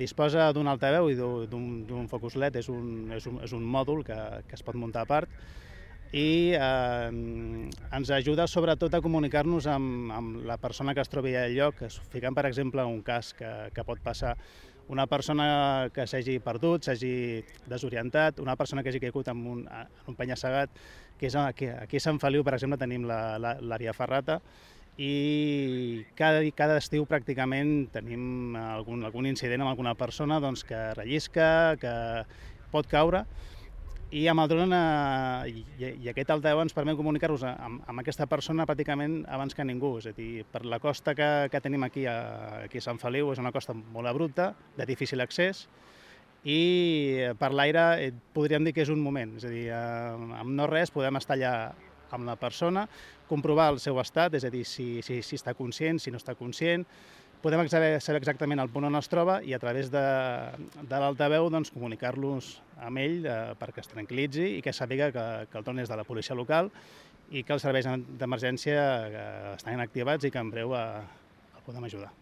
Disposa d'un altaveu i d'un focus LED, és un mòdul que es pot muntar a part i ens ajuda sobretot a comunicar-nos amb la persona que es trobi al lloc, ficant per exemple un cas que pot passar una persona que s'hagi perdut, s'hagi desorientat, una persona que hagi caigut en un penya-segat, que és aquí a Sant Feliu, per exemple, tenim l'àrea Ferrata, i cada estiu pràcticament tenim algun incident amb alguna persona que rellisca, que pot caure, i amb el dron i aquest altaveu ens permet comunicar-nos amb aquesta persona pràcticament abans que ningú. És a dir, per la costa que tenim aquí a Sant Feliu, és una costa molt abrupta, de difícil accés, i per l'aire podríem dir que és un moment. És a dir, amb no res podem estar allà amb la persona, comprovar el seu estat, és a dir, si està conscient, si no està conscient. Podem saber exactament el punt on es troba i a través de l'altaveu comunicar-los amb ell perquè es tranquil·litzi i que sàpiga que el dron és de la policia local i que els serveis d'emergència estan activats i que en breu el podem ajudar.